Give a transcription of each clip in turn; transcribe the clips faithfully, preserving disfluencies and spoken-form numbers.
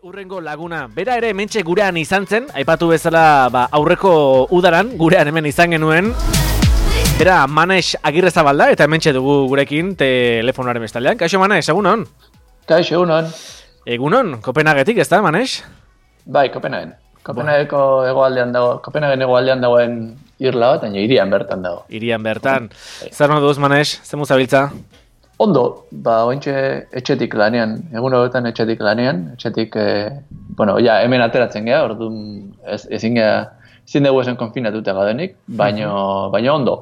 Urrengo laguna, bera ere hementxe gurean izan zen, aipatu bezala ba, aurreko udaran, gurean hemen izan genuen. Bera Manex Agirrezabalda eta hementxe dugu gurekin telefonoaren bestaldean. Kaixo Manex, egunon? Kaixo, egunon. Egunon, Kopenhagetik, ez da, Manex? Bai, Kopenhagen. Kopenhageko hegoaldean dago, Kopenhagen hegoaldean dagoen irla bat, baina hirian bertan dago. Hirian bertan. Zer no duz, Manex? Zer muzabiltza? Ondo, ba, ointxe etxetik lanean, egun horretan etxetik lanean, etxetik, eh, bueno, ja, hemen ateratzen geha, orduan ez, ezin geha, ezin dugu esan konfinatuta gaudenik, baino, baino ondo.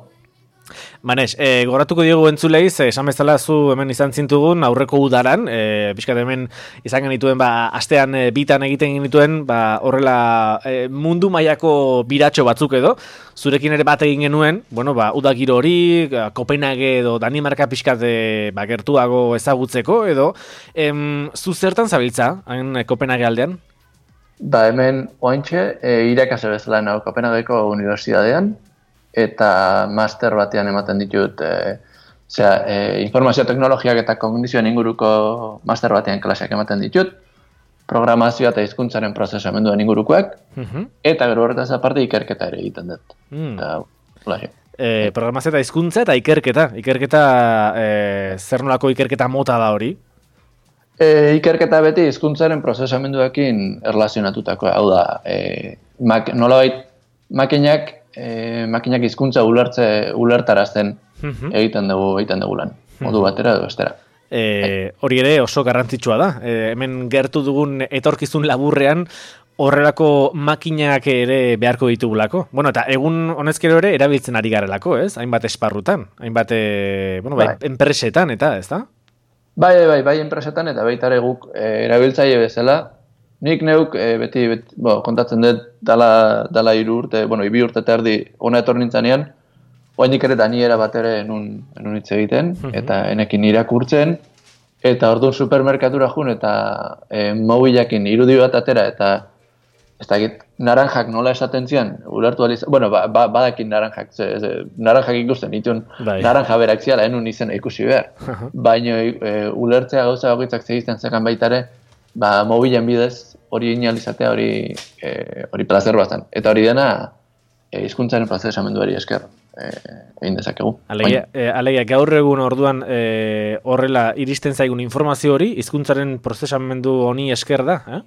Manex, e, goratuko diogu entzulei, ze esan bezala zu hemen izan zintugun aurreko udaran, e, pixkat hemen izan genituen, ba, astean e, bitan egiten genituen, ba, horrela e, mundu mailako biratxo batzuk edo, zurekin ere bat egin genuen, bueno, ba, udagiro hori, Kopenhage edo Danimarka pixkat e, ba, gertuago ezagutzeko edo, em, zu zertan zabiltza, hain Kopenhage aldean? Ba, hemen ointxe e, irakasle bezala nago Kopenhageko unibertsitatean, eta master batean ematen ditut, e, zera, e, informazio teknologiak eta kognizioen inguruko master batean klaseak ematen ditut, programazioa eta hizkuntzaren prozesamenduen ingurukoak, uh-huh. eta gero horretaz aparte ikerketa ere egiten dut. Mm. Eta, e, programazioa eta hizkuntza eta ikerketa. Ikerketa, e, zer nolako ikerketa mota da hori? E, ikerketa beti hizkuntzaren prozesamenduekin erlazionatutako, hau da, e, mak, nolabait makinak E, makinak hizkuntza ulertze ulertarazten uh-huh. egiten dugu egiten dugu lan. Modu batera edo bestera. E, hori ere oso garrantzitsua da. E, hemen gertu dugun etorkizun laburrean horrelako makinak ere beharko ditugulako. Bueno, eta egun honezkero ere erabiltzen ari garelako, ez? Hainbat esparrutan, hainbat e, bueno, bai, bai. enpresetan eta, ez da? Bai, bai, bai, enpresetan eta baita ere guk e, erabiltzaile bezala. Nik neuk e, beti, beti bo, kontatzen dut dala, dala iru urte, bueno, ibi urte eta erdi ona etor nintzanean, oainik ere daniera bat ere enun, enun hitz egiten, uh-huh. eta enekin irakurtzen, eta orduan supermerkatura jun, eta e, mobilakin irudi bat atera, eta ez dakit, naranjak nola esaten zian, ulertu aliz, bueno, ba, ba, badakin naranjak, ze, ze, naranjak ikusten, ditun bai. Naranja berak ziala, enun izena ikusi behar, uh-huh. baina e, ulertzea gauza bakoitzak zegizten zekan baitare, ba, mobilen bidez, hori inalizatea, hori e, hori plazer bazan. Eta hori dena, e, hizkuntzaren prozesamenduari esker e, egin dezakegu. Alegia, e, alegia gaur egun orduan e, horrela iristen zaigun informazio hori, hizkuntzaren prozesamendu honi esker da, eh?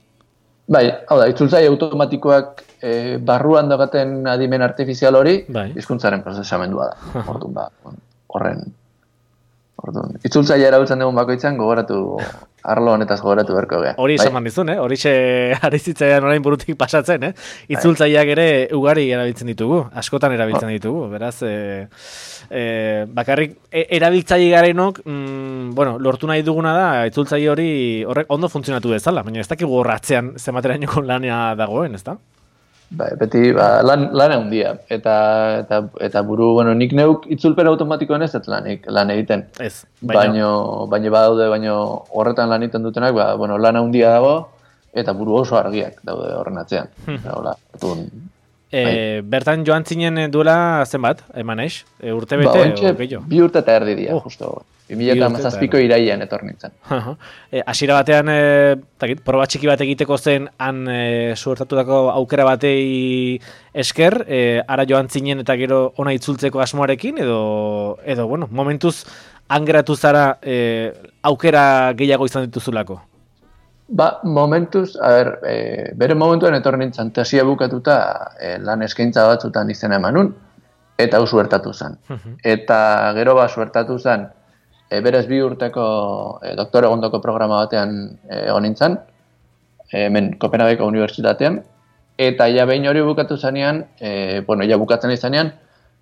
Bai, hau da, itzultzaile automatikoak e, barruan daukaten adimen artifizial hori, bai. Hizkuntzaren prozesamendua da. Orduan, ba, horren, orduan. Itzultzaile erabiltzen dugun bakoitzan gogoratu arlo honetaz gogoratu berko gea. Hori esan bai? Dizun, eh? Hori arizitzailean orain burutik pasatzen, eh? Itzultzaileak ere ugari erabiltzen ditugu, askotan erabiltzen ditugu, beraz, e, e, bakarrik e, erabiltzaile garenok, mm, bueno, lortu nahi duguna da, itzultzaile hori horrek ondo funtzionatu dezala, baina ez dakigu horratzean zematerainoko lana dagoen, ez da? Ba, beti ba, lan, lan handia eta, eta, eta buru, bueno, nik neuk itzulpen automatikoen ez ez lanik, lan egiten. Ez, baina baino badaude, baino horretan lan egiten dutenak, ba, bueno, lan handia dago eta buru oso argiak daude horren atzean. Eta, hola, etun, e, bertan joan zinen duela zenbat, Manex? E, urte bete? Ba, ontxe, bi urte eta erdi dia, oh. justo. bi mila hamazazpiko irailean etor nintzen. E, hasiera batean, e, takit, proba txiki bat egiteko zen han e, suertatutako aukera batei esker, e, ara joan zinen eta gero ona itzultzeko asmoarekin, edo, edo bueno, momentuz angeratu zara e, aukera gehiago izan dituzulako? Ba, momentuz, a ber, e, bere momentuan etor nintzen, tesia bukatuta e, lan eskaintza batzutan izena emanun, eta hau suertatu zen. Eta gero ba suertatu zen, E, berez bi urteko e, doktore egondoko programa batean egon e, nintzen, hemen Kopenhageko unibertsitatean, eta ja behin hori bukatu zanean, e, bueno, ja bukatzen izanean,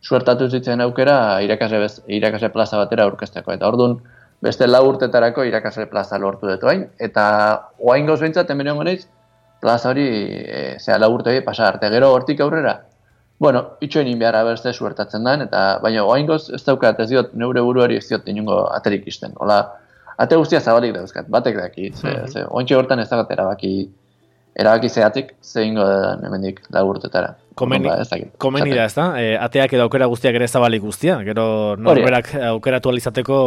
suertatu zitzen aukera irakasle, bez, irakasle plaza batera aurkezteko. Eta orduan, beste lau urtetarako irakasle plaza lortu dut hain, eta oain gauz behintzat, hemen egon naiz, plaza hori, e, zera lau urte hori pasa arte, gero hortik aurrera, bueno, itxoen inbiara berze suertatzen den, eta baina oaingoz ez daukat ez diot neure buruari ez diot inungo aterik isten. Hola, ate guztia zabalik dauzkat, batek daki, ze, mm-hmm. ze, ointxe hortan ez dakat erabaki erabaki zeatik zeingo da hemendik lau urtetara. Komeni, Ba, ez dakit. komeni da, ez da? E, ateak edo aukera guztiak ere zabalik guztia. Gero norberak aukeratu alizateko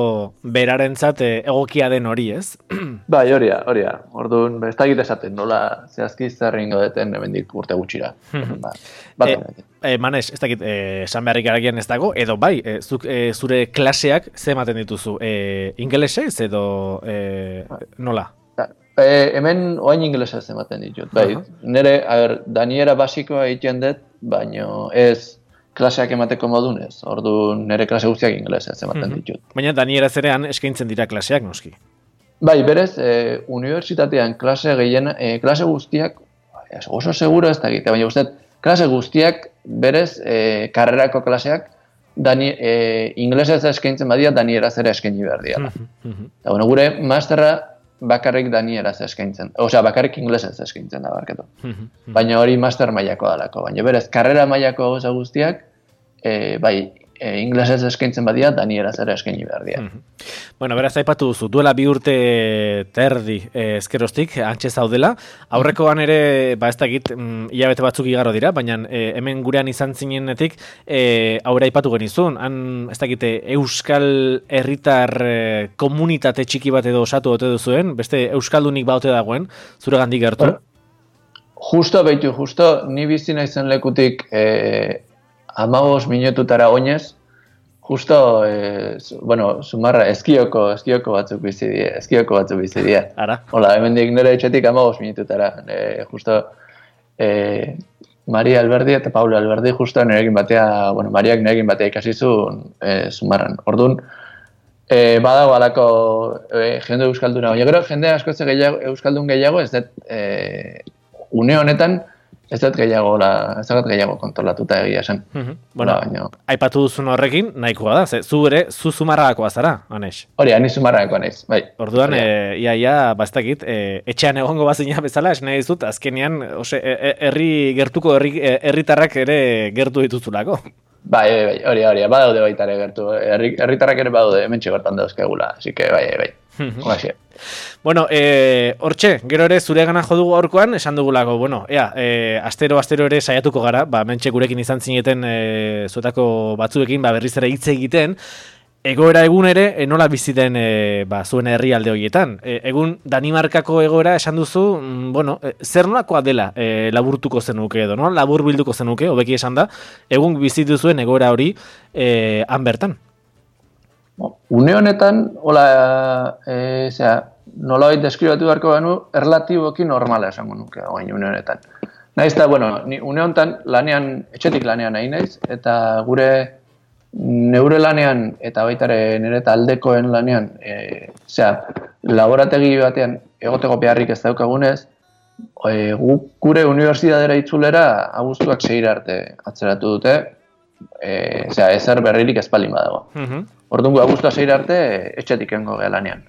berarentzat e, egokia den hori, ez? Bai, hori da, hori da. Orduan, ez dakit esaten, nola zehazki zerringo deten hemendik urte gutxira. ba, bat e, e, Manes, ez dakit, e, esan beharrik aragian ez dago, edo bai, e, zuk, e, zure klaseak ze ematen dituzu? E, ingelesez edo e, nola? E, hemen oain ingelesez ematen ditut. Bai, uh -huh. Nere, a ber, daniera basikoa egiten dut, baino ez klaseak emateko modunez. Orduan, nere klase guztiak ingelesez ematen uh -huh. ditut. Baina danieraz erean eskaintzen dira klaseak, noski? Bai, berez, e, unibertsitatean klase gehien, e, klase guztiak, oso seguro ez da egite, baina guztiak, klase guztiak, berez, e, karrerako klaseak, dani, e, ingelesez eskaintzen badia, danieraz ere eskaini behar dira. Uh -huh. Eta, bueno, gure masterra, bakarrik danieraz eskaintzen. Osea, bakarrik ingelesez eskaintzen da barketu. Baina hori master mailako dalako. Baina berez, karrera mailako gauza guztiak, e, bai, e, ingelesez eskaintzen badia, danieraz ere eskaini behar dira. Bueno, beraz, aipatu duzu, duela bi urte terdi eh, ezkerostik, antxe zaudela. Aurrekoan ere, ba ez dakit, mm, hilabete batzuk igaro dira, baina eh, hemen gurean izan zinenetik, eh, aurre aipatu genizun. Han, ez dakit, euskal herritar eh, komunitate txiki bat edo osatu ote duzuen, beste euskaldunik baute dagoen, zure gandik gertu? Bueno, justo, behitu, justo, ni bizi naizen lekutik eh, amabos minututara oinez, justo, eh, bueno, sumarra, eskioko, eskioko batzuk bizi die, eskioko batzuk bizi die. Ara. Hola, hemendik nire etxetik amabos minututara. Eh, justo, eh, Maria Alberdi eta Paula Alberdi justo nirekin batea, bueno, Mariak nirekin batea ikasi zuen eh, sumarran. Orduan, eh, badago alako eh, jende euskalduna. Baina gero, jende askoz gehiago, euskaldun gehiago, ez dut, eh, une honetan, ez dut gehiago, la, ez dut gehiago kontrolatuta egia esan. Uh-huh. Bueno, baina, aipatu duzun horrekin, nahikoa da, ze, zu ere, zu zumarrakoa zara, Anes? Hori, ani zumarrakoa naiz, bai. Orduan, e, ia, ia, bastakit, e, etxean egongo bazina bezala, esan nahi dizut, azkenean, ose, herri gertuko herritarrak ere gertu dituzulako. Bai, bai, bai, hori, hori, badaude baita ere gertu, herritarrak ere badaude, hemen txegertan dauzkegula, así que, bai, bai, bai. Bueno, eh, hortxe, gero ere zure gana jodugu aurkoan, esan dugulako, bueno, ea, eh, astero, astero ere saiatuko gara, ba, mentxe gurekin izan zineten eh, zuetako batzuekin, ba, berriz ere hitz egiten, egoera egun ere, e, nola biziten e, ba, zuen herrialde horietan. E, egun Danimarkako egoera esan duzu, mm, bueno, e, zer nolakoa dela e, laburtuko zenuke edo, no? Labur bilduko zenuke, hobeki esan da, egun bizitu zuen egoera hori e, han bertan. Une honetan, hola, e, zera, nola hori deskribatu beharko banu, erlatiboki normala esango nuke, oain une honetan. Naiz eta, bueno, ni une honetan lanean, etxetik lanean nahi naiz, eta gure neure lanean, eta baitare nire taldekoen lanean, e, zera, laborategi batean egoteko beharrik ez daukagunez, e, gu, gure unibertsitatera itzulera abuztuak seira arte atzeratu dute, e, zera, ezer berririk espalin badago. Uh-huh. Orduan gu abuztua seira arte etxetik engo geha lanean.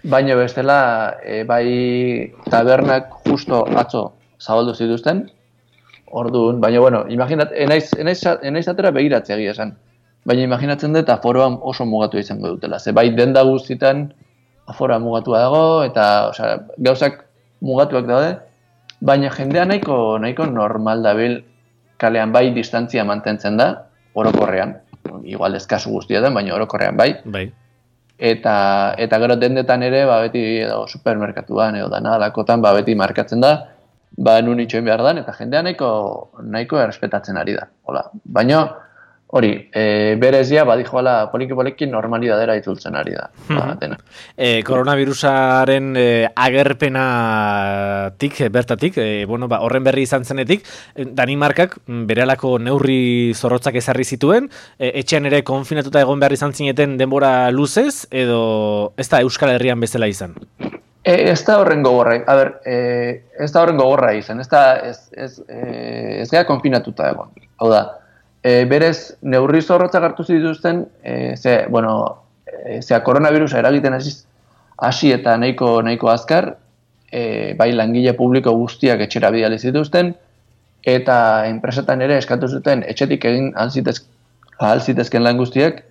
Baina bestela, e, bai tabernak justo atzo zabaldu zituzten, orduan, baina bueno, imaginat, enaiz, enaiz, enaiz atera begiratzea egia esan. Baina imaginatzen dut aforoan oso mugatu izango dutela. Ze bai denda guztietan aforoa mugatua dago, eta osea, gauzak mugatuak daude, baina jendea nahiko, nahiko normal dabil kalean bai distantzia mantentzen da, orokorrean. Igual eskazu guztietan, baina orokorrean bai. Bai. Eta, eta gero dendetan ere, ba, beti edo supermerkatuan edo danalakotan, ba, beti markatzen da, ba, nun itxoin behar dan, eta jendea nahiko, nahiko errespetatzen ari da. Hola. Baina, hori, e, berezia, badijoala poliki-poliki normalidadera itzultzen ari da. Ba, e, koronavirusaren e, agerpenatik, bertatik, e, bueno, ba, horren berri izan zenetik, Danimarkak berehalako neurri zorrotzak ezarri zituen, e, etxean ere konfinatuta egon behar izan zineten denbora luzez, edo ez da Euskal Herrian bezala izan? E, ez da horren gogorra, a ber, e, ez da horren gogorra izan, ez da, ez, ez, e, ez gara konfinatuta egon, hau da. E, berez, neurri zorrotzak hartu zituzten, e, ze, bueno, e, zea koronavirusa eragiten hasi eta nahiko, nahiko azkar, e, bai langile publiko guztiak etxera bidali zituzten, eta enpresetan ere eskatu zuten etxetik egin ahal zitezken lan guztiak,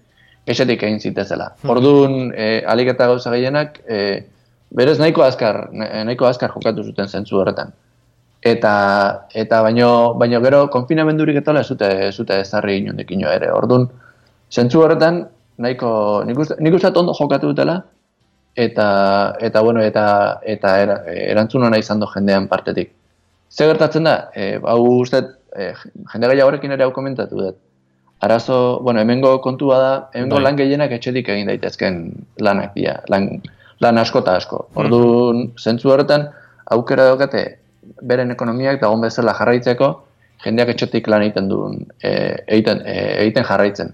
etxetik egin zitezela. Orduan, e, alik eta gauza gehienak, e, berez nahiko azkar, nahiko azkar jokatu zuten zentzu horretan. eta eta baino baino gero konfinamendurik eta ez zute ez zute ezarri inondekino ere. Ordun zentzu horretan nahiko nik uste nik uste ondo jokatu dutela eta eta bueno eta eta era, erantzun ona izan do jendean partetik. Ze gertatzen da? Eh, hau uste eh, jende gehiagorekin ere hau komentatu dut. Arazo, bueno, hemengo kontua da, hemengo lan gehienak etxetik egin daitezken lanak dira, lan, lan asko eta asko. Orduan, zentzu horretan, aukera daukate, beren ekonomiak dagoen bezala jarraitzeko, jendeak etxetik lan egiten duen, e, egiten, e, egiten jarraitzen.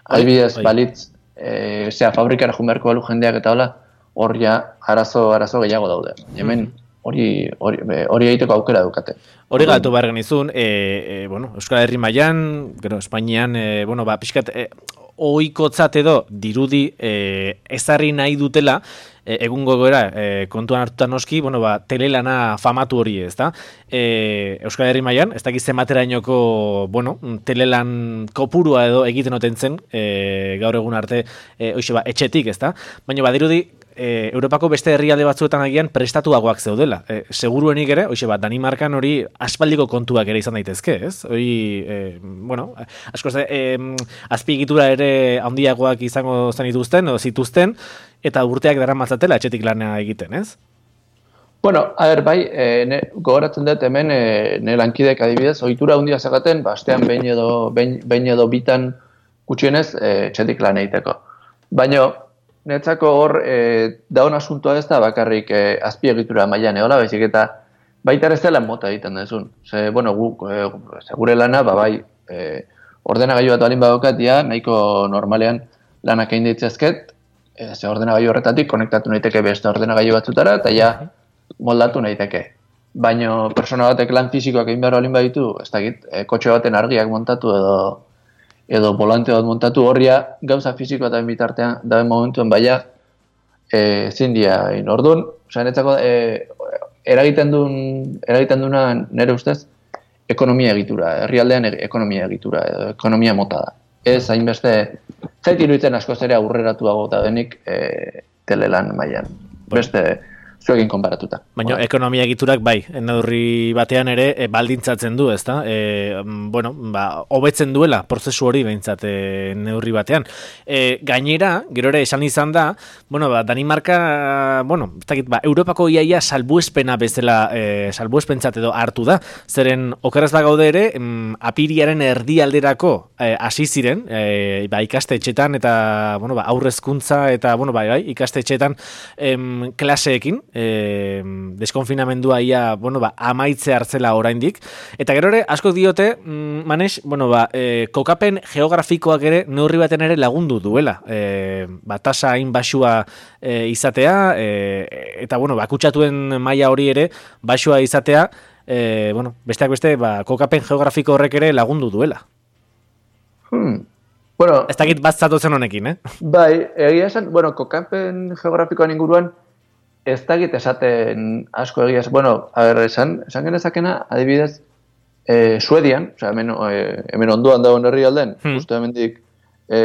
Adibidez, balitz, e, zera, fabrikara junberko balu jendeak eta hola, hor ja, arazo, arazo gehiago daude. Hemen, hori hori hori egiteko aukera daukate. Hori galtu behar genizun, e, e, bueno, Euskal Herri mailan, gero, Espainian, e, bueno, ba, pixkat, e, ohikotzat edo dirudi e, ezarri nahi dutela, e, egungo goera, e, kontuan hartuta noski, bueno, ba, telelana famatu hori ez da. E, Euskal Herri mailan, ez dakiz zenbaterainoko, bueno, telelan kopurua edo egiten oten zen, e, gaur egun arte, e, hoxe ba, etxetik ez da. Baina badirudi, E, Europako beste herrialde batzuetan agian prestatuagoak zeudela. E, seguruenik ere, hoxe bat, Danimarkan hori aspaldiko kontuak ere izan daitezke, ez? Hori, e, bueno, asko ze, e, azpiegitura ere handiagoak izango zen dituzten, edo zituzten, eta urteak daramatzatela etxetik lana egiten, ez? Bueno, a ber, bai, e, ne, gogoratzen dut hemen, e, ne lankidek adibidez, ohitura handia zagaten, bastean behin edo, behin, behin edo bitan gutxienez e, etxetik lan egiteko. Baina, netzako hor, e, daun asuntoa ez da bakarrik e, azpiegitura mailan eola, baizik eta baita ere zela mota egiten dezun. Ze, bueno, gu, e, gure lana, ba, bai, e, ordenagailu bat balin badokat, ja, nahiko normalean lanak egin ditzezket, e, ze ordenagailu horretatik konektatu naiteke beste ordenagailu batzutara, eta ja, moldatu naiteke. Baina persona batek lan fizikoak egin behar balin baditu, ez dakit, e, kotxe baten argiak montatu edo edo volante bat montatu horria gauza fizikoa eta bitartean daben momentuen baia e, zindia egin. Orduan, oza, netzako e, eragiten duen eragiten duena nire ustez ekonomia egitura, herrialdean ekonomia egitura edo ekonomia mota da. Ez hainbeste zait iruditzen askoz ere aurreratuago da denik e, telelan mailan. Beste zuekin konparatuta. Baina ekonomia egiturak bai, neurri batean ere e, baldintzatzen du, ezta? E, bueno, ba, hobetzen duela prozesu hori behintzat e, neurri batean. E, gainera, gero ere esan izan da, bueno, ba, Danimarka, bueno, ez dakit, ba, Europako iaia salbuespena bezala, e, salbuespentzat edo hartu da. Zeren, okeraz bagaude ere, em, apiriaren erdialderako hasi e, ziren, e, ba, ikastetxetan eta, bueno, ba, aurrezkuntza eta, bueno, bai, bai, ikastetxetan em, klaseekin, E, deskonfinamendua ia, bueno, ba, amaitze hartzela oraindik. Eta gero ere, asko diote, mm, Manex, bueno, ba, e, kokapen geografikoak ere neurri baten ere lagundu duela. E, ba, tasa hain basua e, izatea, e, eta, bueno, ba, kutsatuen maila hori ere basua izatea, e, bueno, besteak beste, ba, kokapen geografiko horrek ere lagundu duela. Hmm. Bueno, ez dakit bat zatotzen honekin, eh? Bai, egia esan, bueno, kokapen geografikoan inguruan, ez dakit esaten asko egia, bueno, a ber, esan, esan genezakena, adibidez, e, Suedian, oza, hemen, e, hemen onduan dagoen herri alden, hmm. justu hemendik e,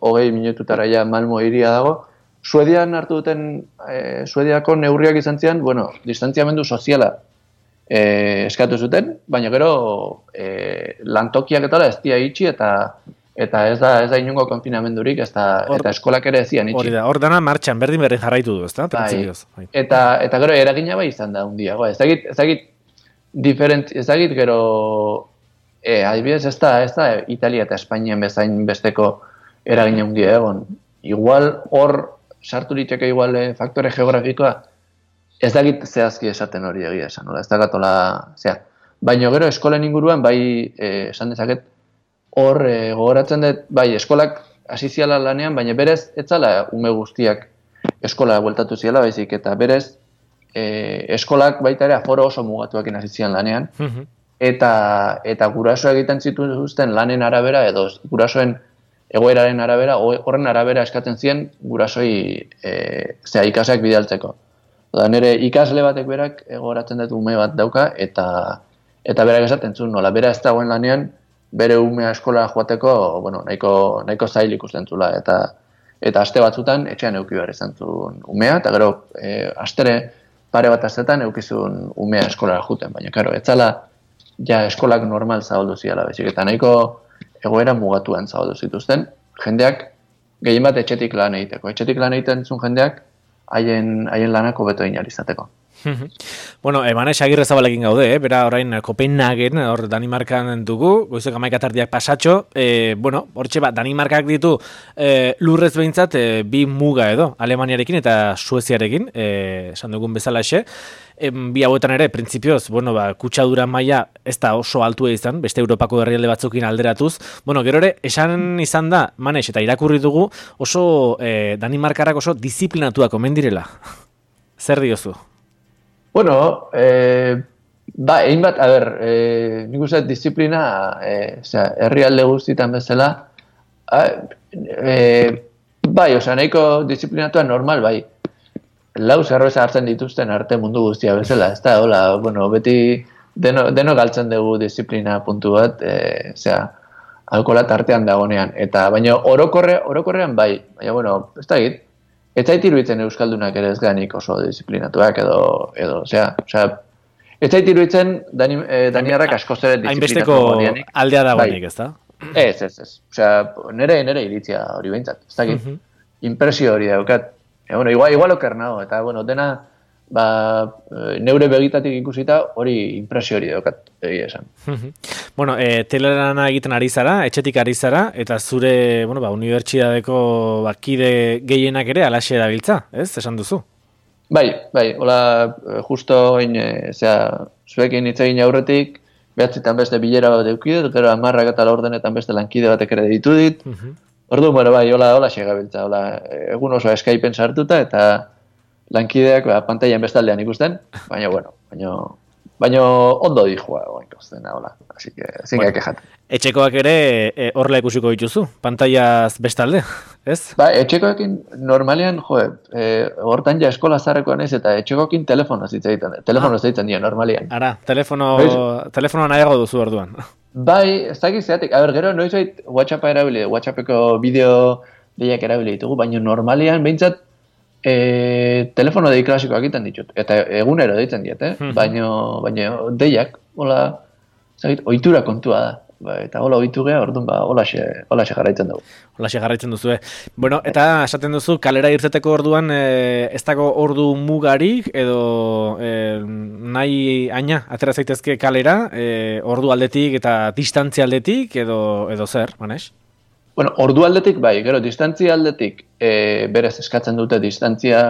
hogei minututara ja Malmo hiria dago, Suedian hartu duten, e, Suediako neurriak izan zian, bueno, distantziamendu soziala e, eskatu zuten, baina gero e, lantokiak eta ez dia itxi eta Eta ez da ez da inongo konfinamendurik, ez da, eta eskolak ere ezian itxi. Hori da, hor dana martxan berdin berdin jarraitu du, ezta? Bai. Eta, eta gero eragina bai izan da hundiago. Ez dakit, ez dakit, diferent, ez dakit gero, e, adibidez ez da, ez da Italia eta Espainian bezain besteko eragina hundia egon. Igual hor, sartu liteke igual eh, faktore geografikoa, ez dakit zehazki esaten hori egia esan, nola, ez da gatola, zea. Baina gero eskolen inguruan bai eh, esan dezaket, hor, e, gogoratzen dut, bai, eskolak hasi ziala lanean, baina berez, etzala ume guztiak eskola bueltatu ziala, baizik, eta berez, e, eskolak baita ere aforo oso mugatuakin hasi zian lanean, uh-huh. eta, eta guraso egiten zituzten lanen arabera, edo gurasoen egoeraren arabera, horren arabera eskatzen zien gurasoi e, zea ikasak bidaltzeko. Oda, nire ikasle batek berak gogoratzen dut ume bat dauka, eta, eta berak esaten zuen, nola, bera ez dagoen lanean, bere umea eskola joateko, bueno, nahiko, nahiko zail ikusten zula, eta eta aste batzutan etxean eduki behar izan zuen umea, eta gero, e, astere, pare bat astetan eukizun umea eskolara juten, baina, karo, etzala ja eskolak normal zabaldu ziala bezik, eta nahiko egoera mugatuan zabaldu zituzten, jendeak gehien bat etxetik lan egiteko. Etxetik lan egiten zuen jendeak haien haien lanako beto inalizateko. Bueno, Manex Agirrezabalekin gaude, eh? Bera orain Kopenhagen, hor Danimarkan dugu, goizeko hamaika tardiak pasatxo, eh, bueno, hortxe ba, Danimarkak ditu eh, lurrez behintzat eh, bi muga edo, Alemaniarekin eta Sueziarekin, eh, esan dugun bezalaxe, eh, bi hauetan ere, printzipioz, bueno, ba, kutsadura maila ez da oso altua izan, beste Europako herrialde batzukin alderatuz, bueno, gero ere, esan izan da, Manex, eta irakurri dugu, oso eh, Danimarkarak oso disiplinatuak omen direla. Zer diozu? Bueno, eh, ba, egin bat, a ber, eh, nik uste disiplina, eh, osea, herrialde guztietan bezala, eh, bai, osea, nahiko disiplinatua normal, bai, lau zerbeza hartzen dituzten arte mundu guztia bezala, ez da, hola, bueno, beti deno, deno galtzen dugu disiplina puntu bat, eh, osea, alkohola tartean dagonean, eta baina orokorre, orokorrean bai, baina, bueno, ez da egit, ez zait iruditzen euskaldunak ere ez ganik oso disiplinatuak edo, edo, osea, osea, ez zait iruditzen dani, eh, daniarrak askoz ere disiplinatu godianik. Hainbesteko aldea dagoenik, ez da? Ez, ez, ez. Osea, nere, nere iritzia hori behintzat, ez dakit. Uh -huh. Impresio hori daukat. E, bueno, igual, igual oker nago, eta, bueno, dena, ba, neure begitatik ikusita hori impresio hori daukat, egia esan. Uh -huh. Bueno, e, telerana egiten ari zara, etxetik ari zara, eta zure, bueno, ba, unibertsitateko bakide gehienak ere alaxe dabiltza, ez? Esan duzu? Bai, bai, hola, justo oin, e, zera, zuekin hitz egin aurretik, behatzitan beste bilera bat eukidet, gero amarrak eta laurdenetan beste lankide batek ere ditu dit. Uh -huh. Ordu, bueno, bai, hola, hola segabiltza, hola, egun oso Skypen sartuta, eta lankideak ba, pantailan bestaldean ikusten, baina, bueno, baina, baina ondo dijua, oin kozten, hola, así que, zinga bueno, kejat. Etxekoak ere e, horrela ikusiko dituzu, pantailaz bestalde, ez? Ba, etxekoekin normalean, jo, e, hortan ja eskola zarrekoan ez, eta etxekoekin telefono zitzaiten, telefono ah. zitzaiten dira, normalean. Ara, telefono, telefono nahiago duzu orduan. Bai, ez dakit zeatik, a ber, gero, noiz bait WhatsAppa erabili, WhatsAppeko bideo deiak erabili ditugu, baina normalean, behintzat, E, telefono dei klasikoak egiten ditut, eta egunero deitzen diet, eh? Uh -huh. baina, baina deiak, hola, zait, ohitura kontua da, ba, eta hola ohitu geha, orduan, ba, hola xe jarraitzen dugu. Hola xe jarraitzen duzu, eh? Bueno, eta esaten duzu, kalera irteteko orduan, e, ez dago ordu mugarik, edo e, nahi aina, atera zaitezke kalera, e, ordu aldetik eta distantzia aldetik, edo, edo zer, Manex? Bueno, ordu aldetik bai, gero, distantzia aldetik e, berez eskatzen dute distantzia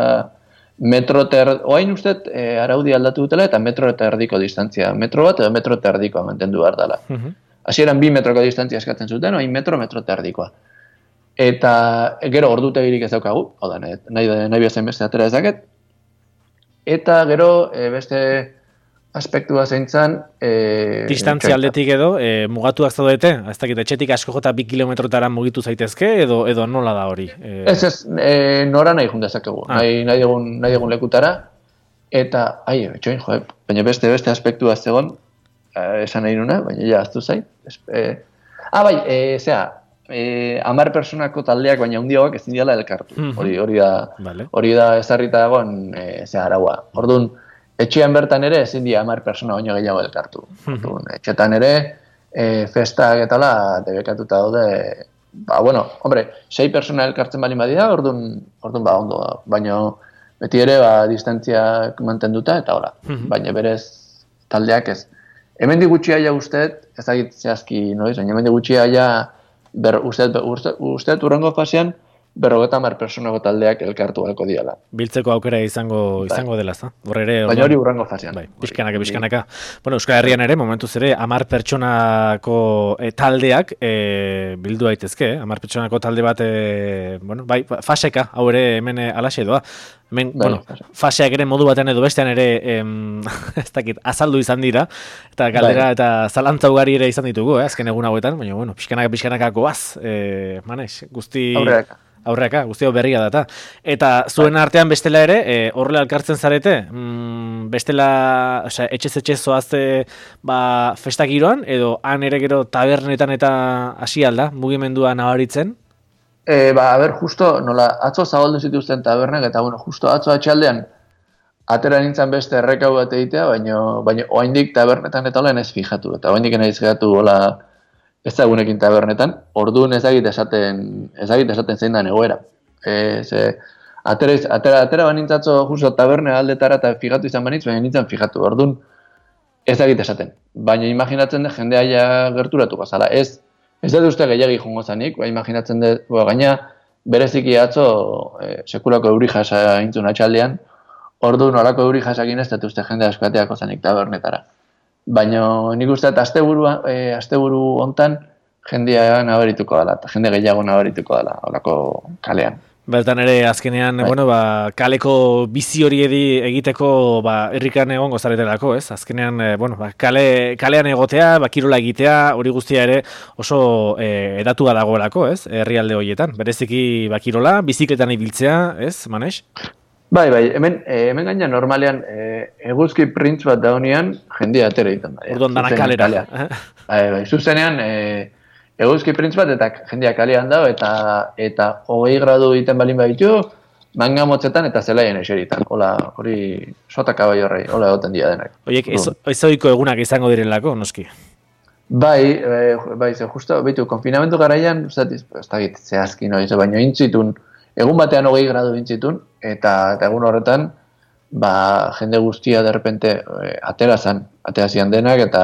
metro ter... Oain uste e, araudi aldatu dutela eta metro eta erdiko distantzia. Metro bat edo metro eta erdikoa mantendu behar dela. Uh -huh. Hasieran bi metroko distantzia eskatzen zuten, oain metro, metro eta erdikoa. Eta gero ordutegirik ez daukagu, hau da, nahi, nahi bezain beste atera ezaket. Eta gero e, beste aspektua zeintzan... E, distantzia aldetik edo, e, mugatuak zaudete? Ez dakit, etxetik asko jota bi kilometrotara mugitu zaitezke, edo edo nola da hori? E... Ez ez, e, nora nahi jundezakegu, ah. nahi, nahi, egun, nahi egun lekutara, eta, ai, etxoin, jo, baina beste beste aspektua zegoen, esan nahi nuna, baina ja, aztu zait. E, ah, bai, e, zera, e, amar personako taldeak, baina hundiagoak ezin diala elkartu. Mm -hmm. Hori, hori da, vale. Hori da ezarrita dagoen, e, zera, araua. Orduan, etxean bertan ere ezin dira hamar persona baino gehiago elkartu. Orduan, etxetan ere e, festak eta la debekatuta daude, ba, bueno, hombre, sei persona elkartzen bali badira, orduan, orduan ba, ondo, baina beti ere ba, distantziak mantenduta eta hola, baina berez taldeak ez. Hemendik gutxia ja usteet, ez dakit zehazki noiz, baina hemendik gutxia ja ber, usteet, usteet, usteet urrengo fasean berrogeta hamar personako taldeak elkartu halko diala. Biltzeko aukera izango izango dela, za? Hor ere, baina hori urrengo fasean. Bai, pixkanaka, pixkanaka. Bueno, Euskal Herrian ere, momentuz ere, hamar pertsonako e, taldeak e, bildu daitezke, eh? hamar pertsonako talde bat, e, bueno, bai, faseka, hau ere hemen alaxe doa. Hemen, bai, bueno, faseak ere modu batean edo bestean ere, em, ez dakit, azaldu izan dira, eta galdera bai. Eta zalantza ugari ere izan ditugu, eh? Azken egun hauetan, baina, bueno, pixkanaka, pixkanaka goaz, e, Manex, guzti... Aurreaka. Aurreaka, guztio berria data. Eta zuen artean bestela ere, e, horrela elkartzen zarete, mm, bestela, osea, etxez etxez zoazte ba, festak giroan, edo han ere gero tabernetan eta hasi alda, mugimendua nabaritzen? E, ba, a ber, justo, nola, atzo zabaldu zituzten tabernak, eta bueno, justo atzo atxaldean, atera nintzen beste errekau bat egitea, baina baina oraindik tabernetan eta hola ez fijatu. Eta oraindik ez fijatu hola ez da egunekin tabernetan, orduan ezagit esaten, ezagit esaten zein da egoera. E, ze, atera, atera, atera banintzatzo justo taberne aldetara eta fijatu izan banitz, baina nintzen fijatu. Orduan ezagit esaten. Baina imaginatzen dut jendea ja gerturatu gazala. Ez, ez dut uste gehiagi jongo zanik, ba, imaginatzen dut, ba, gaina bereziki atzo e, sekulako euri jasa intzun atxaldean, orduan horako euri jasakin ez dut uste jende askoateako zanik tabernetara. Baina nik uste dut asteburu e, asteburu hontan jendea nabarituko dela, eta jende gehiago nabarituko dela horako kalean. Bertan ere azkenean, bai. bueno, ba, kaleko bizi hori egiteko ba, herrikan egongo zaretelako, ez? Azkenean, e, bueno, ba, kale, kalean egotea, ba, kirola egitea, hori guztia ere oso e, edatua dagoelako, ez? Herrialde horietan. Bereziki ba, kirola, bizikletan ibiltzea, ez, Manex? Bai, bai, hemen, e, hemen gaina normalean e, eguzki printz bat daunean jendea atera egiten da. Orduan dana kalera. Bai, bai, zuzenean e, eguzki printz bat eta jendea kalean dago eta eta hogei gradu egiten balin baditu, manga motzetan eta zelaien eseritan. Hola, hori sotaka bai horrei, hola egoten dira denak. Oiek, ez ohiko egunak izango direlako, noski? Bai, e, bai, ze justo, behitu, konfinamentu garaian, ez da git, zehazki noiz, baina intzitun, egun batean hogei gradu intzitun, eta, eta egun horretan, ba, jende guztia derrepente e, atera zan, atera zian denak, eta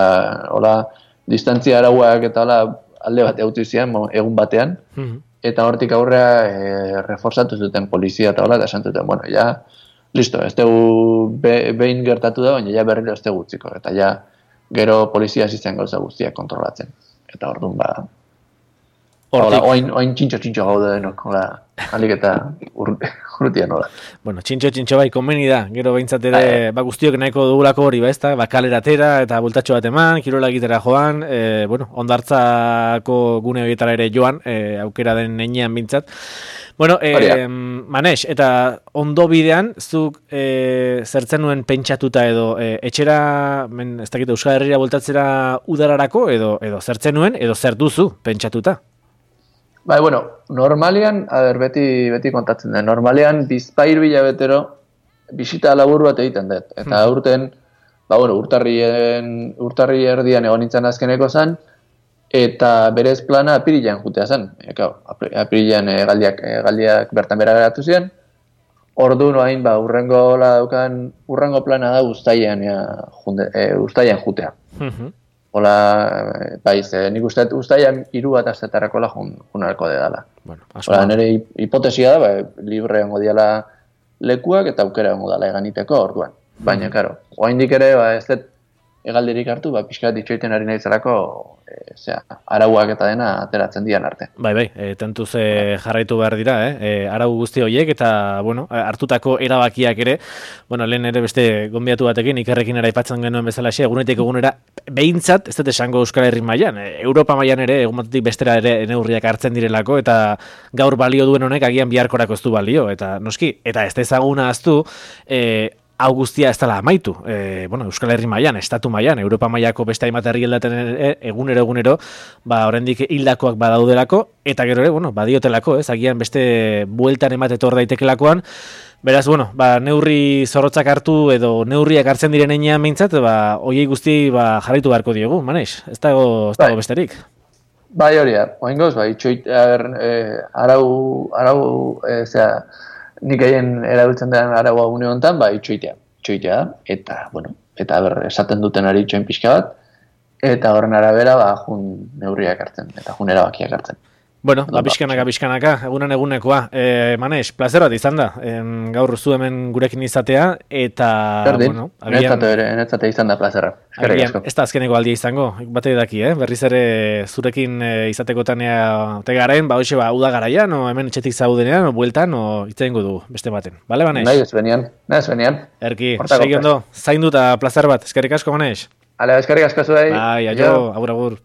hola, distantzia arauak eta hola, alde bat eutu zian, egun batean, mm-hmm. eta hortik aurrea e, reforzatu zuten polizia eta hola, eta esan zuten, bueno, ja, listo, ez dugu be, behin gertatu da, baina ja berriro ez dugu utziko, eta ja, gero polizia zizen gauza guztiak kontrolatzen. Eta orduan, ba, hola, oin, oin txintxo-txintxo gaude denok, hola, alik eta urrutia nola. Bueno, txintxo-txintxo bai, konbeni da, gero behintzat ere, ba, guztiok nahiko dugulako hori, ba, ez da, ba, kaleratera eta bultatxo bat eman, kirola egitera joan, e, bueno, ondartzako gune horietara ere joan, e, aukera den neinean bintzat. Bueno, e, Manex, eta ondo bidean, zuk e, zertzen nuen pentsatuta edo, e, etxera, men, ez dakit, Euskal Herria bultatzera udararako, edo, edo zertzen nuen, edo zer duzu pentsatuta? Bai, bueno, normalean, a ber, beti, beti kontatzen da, normalean bizpahiru hilabetero bisita labur bat egiten dut. Eta hmm. urten, ba, bueno, urtarrien, urtarri erdian egon nintzen azkeneko zen, eta berez plana apirilean jutea zen. Eka, apirilean e, galdiak, e, galdiak bertan bera geratu ziren. Ordu noain, ba, urrengo daukan, urrengo plana da uztailean e, e, jutea. Hmm. Hola, baiz, eh, nik uste ustaian hiru bat astetarako la junarko dedala. Bueno, hola, nire hipotesia da, ba, libre ongo diala lekuak eta aukera ongo dala eganiteko orduan. Baina, mm. karo, oraindik ere, ba, ez dut egaldirik hartu, ba, pixka ditxoiten ari naizarako, e, zera, arauak eta dena ateratzen dian arte. Bai, bai, e, tentuz e, jarraitu behar dira, eh? E, arau guzti horiek eta, bueno, hartutako erabakiak ere, bueno, lehen ere beste gonbiatu batekin, ikerrekin ere aipatzen genuen bezala xe, egunetik egunera, behintzat, ez dut esango Euskal Herri mailan, e, Europa mailan ere, egun batetik bestera ere neurriak hartzen direlako, eta gaur balio duen honek agian biharkorako ez du balio, eta noski, eta ez da ezaguna aztu, e, hau guztia ez dela amaitu. E, bueno, Euskal Herri mailan, estatu mailan, Europa mailako beste hainbat herrialdetan egunero egunero, ba oraindik hildakoak badaudelako eta gero ere, bueno, badiotelako, ez? Agian beste bueltan emat etor daitekeelakoan. Beraz, bueno, ba neurri zorrotzak hartu edo neurriak hartzen diren heinean behintzat, ba hoiei guzti ba jarraitu beharko diegu, Manex. Ez dago, ez dago bai. Besterik. Bai, hori da. Oraingoz, bai, itxoit, eh, arau arau eh, zera, nik egin erabiltzen den araua une honetan, ba, itxoitea, itxoitea, eta, bueno, eta ber, esaten duten ari itxoin pixka bat, eta horren arabera, ba, jun neurriak hartzen, eta jun erabakiak hartzen. Bueno, ba, pixkanaka, pixkanaka, egunan egunekoa. E, Manex, plazer bat izan da, en, gaur zu hemen gurekin izatea, eta, Berdin, bueno, agian... Netzate izan da plazerra. Agian, ez da azkeneko aldia izango, bate daki, eh? Berriz ere zurekin e, izatekotanea tegaren, ba, hoxe, ba, uda garaian, o hemen etxetik zaudenean, o bueltan, o itzaingo du beste baten. Bale, Manex? Nahi, ez benian, nahi, ez benian. Erki, segi ondo, zaindu eta plazer bat, eskerrik asko, Manex? Ale, eskerrik asko zuei. Bai, aio, agur, agur.